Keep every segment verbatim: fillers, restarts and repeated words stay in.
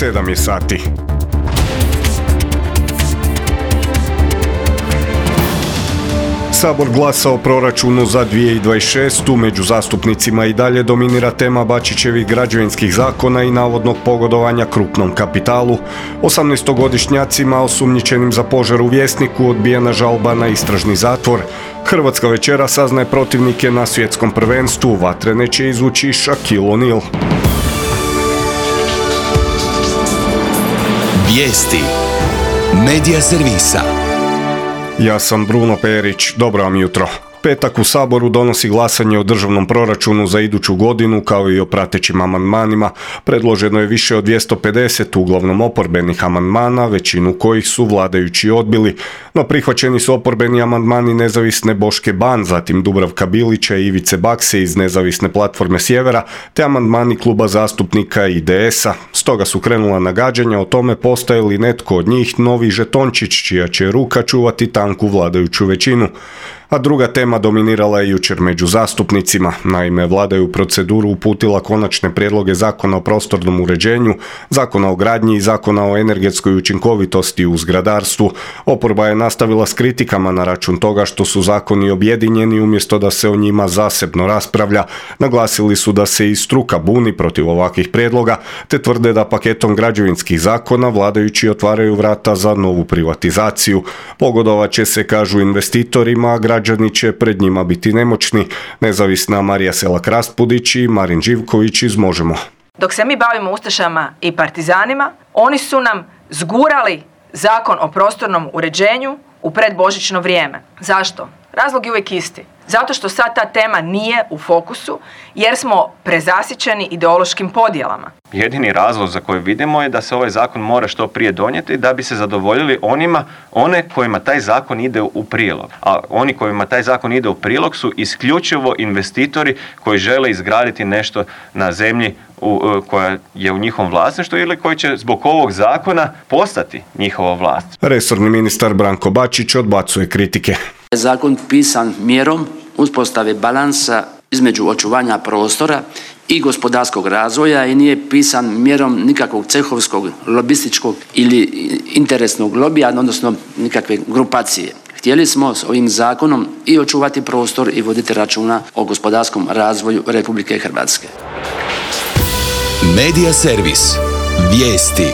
sedam je sati. Sabor glasa o proračunu za dvije tisuće dvadeset šestu. Među zastupnicima i dalje dominira tema Bačićevih građevinskih zakona i navodnog pogodovanja krupnom kapitalu. osamnaestogodišnjacima osumnjičenim za požar u Vjesniku odbijena žalba na istražni zatvor. Hrvatska večera saznaje protivnike na svjetskom prvenstvu. Vatrene će izvući Shaquille O'Neal. Vijesti Medija servisa. Ja sam Bruno Perić, dobro vam jutro. Petak u Saboru donosi glasanje o državnom proračunu za iduću godinu kao i o pratećim amandmanima. Predloženo je više od dvjesto pedeset uglavnom oporbenih amandmana, većinu kojih su vladajući odbili. No prihvaćeni su oporbeni amandmani nezavisne Boške Ban, zatim Dubravka Bilića i Ivice Bakse iz nezavisne platforme Sjevera, te amandmani kluba zastupnika I D S-a. Stoga su krenula nagađanja o tome postaje li netko od njih novi žetončić čija će ruka čuvati tanku vladajuću većinu. A druga tema dominirala je jučer među zastupnicima. Naime, vlada je u proceduru uputila konačne prijedloge Zakona o prostornom uređenju, Zakona o gradnji i Zakona o energetskoj učinkovitosti u zgradarstvu. Oporba je nastavila s kritikama na račun toga što su zakoni objedinjeni umjesto da se o njima zasebno raspravlja. Naglasili su da se i struka buni protiv ovakvih prijedloga, te tvrde da paketom građevinskih zakona vladajući otvaraju vrata za novu privatizaciju. Pogodovat će se, kažu investitorima, a građani će pred njima biti nemoćni. Nezavisna Marija Selak-Raspudić i Marin Živković iz Možemo. Dok se mi bavimo ustašama i partizanima, oni su nam zgurali Zakon o prostornom uređenju u predbožićno vrijeme. Zašto? Razlog je uvijek isti. Zato što sad ta tema nije u fokusu jer smo prezasićeni ideološkim podjelama. Jedini razlog za koji vidimo je da se ovaj zakon mora što prije donijeti da bi se zadovoljili onima, one kojima taj zakon ide u prilog. A oni kojima taj zakon ide u prilog su isključivo investitori koji žele izgraditi nešto na zemlji u, koja je u njihovom vlasništvu ili koji će zbog ovog zakona postati njihova vlast. Resorni ministar Branko Bačić odbacuje kritike. Zakon pisan mjerom uspostave balansa između očuvanja prostora i gospodarskog razvoja i nije pisan mjerom nikakvog cehovskog, lobističkog ili interesnog lobija, odnosno nikakve grupacije. Htjeli smo s ovim zakonom i očuvati prostor i voditi računa o gospodarskom razvoju Republike Hrvatske. Medija servis. Vijesti.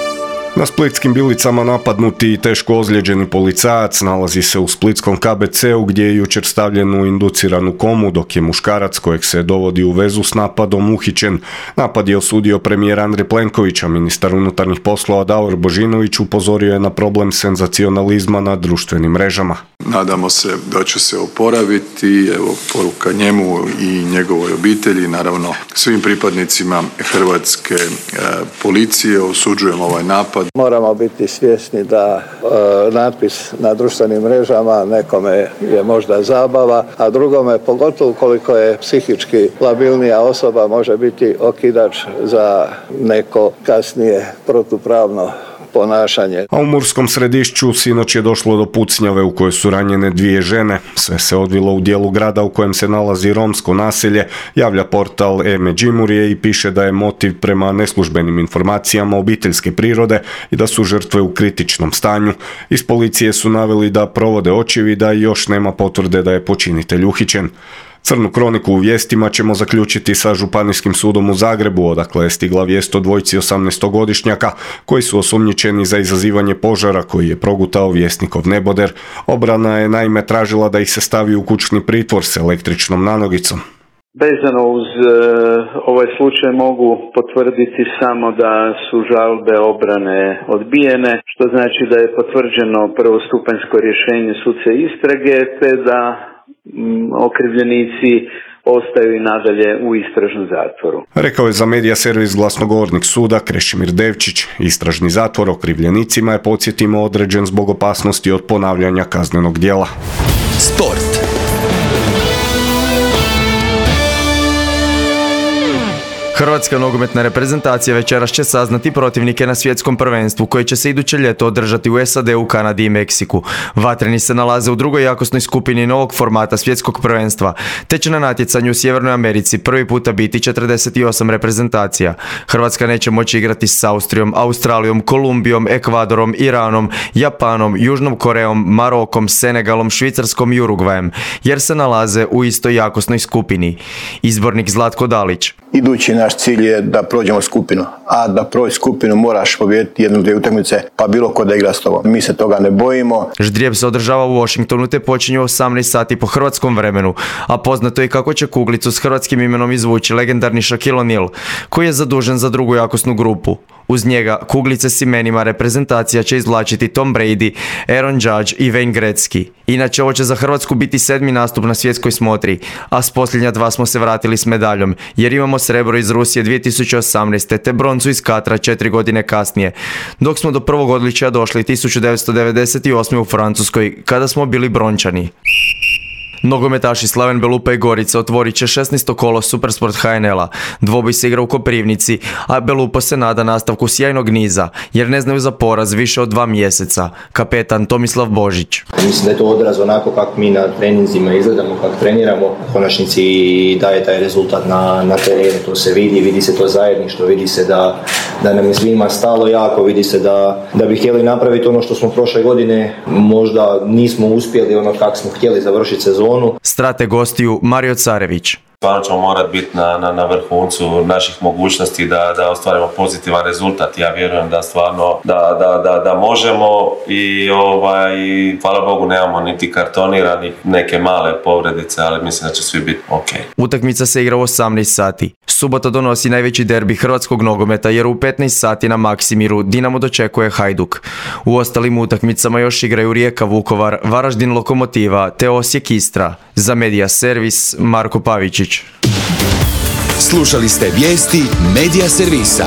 Na splitskim Bilicama napadnuti i teško ozlijeđeni policajac nalazi se u splitskom K B C-u gdje je jučer stavljen u induciranu komu, dok je muškarac kojeg se dovodi u vezu s napadom uhićen. Napad je osudio premijer Andrej Plenković, a ministar unutarnjih poslova Davor Božinović upozorio je na problem senzacionalizma na društvenim mrežama. Nadamo se da će se oporaviti, evo poruka njemu i njegovoj obitelji, naravno svim pripadnicima hrvatske e, policije. Osuđujemo ovaj napad. Moramo biti svjesni da e, natpis na društvenim mrežama nekome je možda zabava, a drugome, pogotovo koliko je psihički labilnija osoba, može biti okidač za neko kasnije protupravno ponašanje. A u Murskom Središću sinoć je došlo do pucnjave u kojoj su ranjene dvije žene. Sve se odvilo u dijelu grada u kojem se nalazi romsko naselje, javlja portal e-Međimurje i piše da je motiv prema neslužbenim informacijama obiteljske prirode i da su žrtve u kritičnom stanju. Iz policije su naveli da provode očevida i još nema potvrde da je počinitelj uhićen. Crnu kroniku u vijestima ćemo zaključiti sa Županijskim sudom u Zagrebu, odakle je stigla vijest o dvojici osamnaestogodišnjaka koji su osumnjičeni za izazivanje požara koji je progutao Vjesnikov neboder. Obrana je naime tražila da ih se stavi u kućni pritvor s električnom nanogicom. Vezano uz e, ovaj slučaj mogu potvrditi samo da su žalbe obrane odbijene, što znači da je potvrđeno prvostupanjsko rješenje sudske istrage, te da okrivljenici ostaju i nadalje u istražnom zatvoru. Rekao je za medija servis glasnogovornik suda Krešimir Devčić. Istražni zatvor okrivljenicima je, podsjetimo, određen zbog opasnosti od ponavljanja kaznenog djela. Sport. Hrvatska nogometna reprezentacija večeras će saznati protivnike na svjetskom prvenstvu koje će se iduće ljeto održati u S A D-u, Kanadi i Meksiku. Vatreni se nalaze u drugoj jakosnoj skupini novog formata svjetskog prvenstva, te će na natjecanju u Sjevernoj Americi prvi puta biti četrdeset osam reprezentacija. Hrvatska neće moći igrati s Austrijom, Australijom, Kolumbijom, Ekvadorom, Iranom, Japanom, Južnom Korejom, Marokom, Senegalom, Švicarskom i Urugvajem, jer se nalaze u istoj jakosnoj skupini. Izbornik Zlatko Dalić. Idući naš cilj je da prođemo skupinu, a da prođi skupinu moraš pobijediti jednu, dvije utakmice, pa bilo ko da igra s tobom. Mi se toga ne bojimo. Ždrijeb se održava u Washingtonu te počinje u osamnaest sati po hrvatskom vremenu, a poznato je kako će kuglicu s hrvatskim imenom izvući legendarni Shaquille O'Neal, koji je zadužen za drugu jakosnu grupu. Uz njega kuglice s imenima reprezentacija će izvlačiti Tom Brady, Aaron Judge i Wayne Gretzky. Inače, ovo će za Hrvatsku biti sedmi nastup na svjetskoj smotri, a s posljednja dva smo se vratili s medaljom, jer imamo srebro iz Rusije dvije tisuće osamnaeste. te broncu iz Katra četiri godine kasnije, dok smo do prvog odličja došli tisuću devetsto devedeset osme. u Francuskoj, kada smo bili brončani. Nogometaši Slaven Belupa i Gorica otvorit će šesnaesto kolo Supersport H N L-a. Dvoboj se igra u Koprivnici, a Belupo se nada nastavku sjajnog niza, jer ne znaju za poraz više od dva mjeseca. Kapetan Tomislav Božić. Mislim da je to odraz onako kako mi na treninzima izgledamo, kako treniramo. U konačnici daje taj rezultat na, na terenu, to se vidi, vidi se to zajedništvo, vidi se da, da nam je svima stalo jako, vidi se da, da bi htjeli napraviti ono što smo prošle godine, možda nismo uspjeli ono kako smo htjeli završiti sezonu. Strate gostiju Mario Carević. Stvarno ćemo morati biti na, na, na vrhuncu naših mogućnosti da, da ostvarimo pozitivan rezultat. Ja vjerujem da stvarno da, da, da, da možemo i ovaj, hvala Bogu nemamo niti kartonira, ni neke male povredice, ali mislim da će svi biti ok. Utakmica se igra u osamnaest sati. Subota donosi najveći derbi hrvatskog nogometa jer u petnaest sati na Maksimiru Dinamo dočekuje Hajduk. U ostalim utakmicama još igraju Rijeka Vukovar, Varaždin Lokomotiva te Osijek Istra. Za Media Servis Marko Pavičić. Slušali ste vijesti Media Servisa.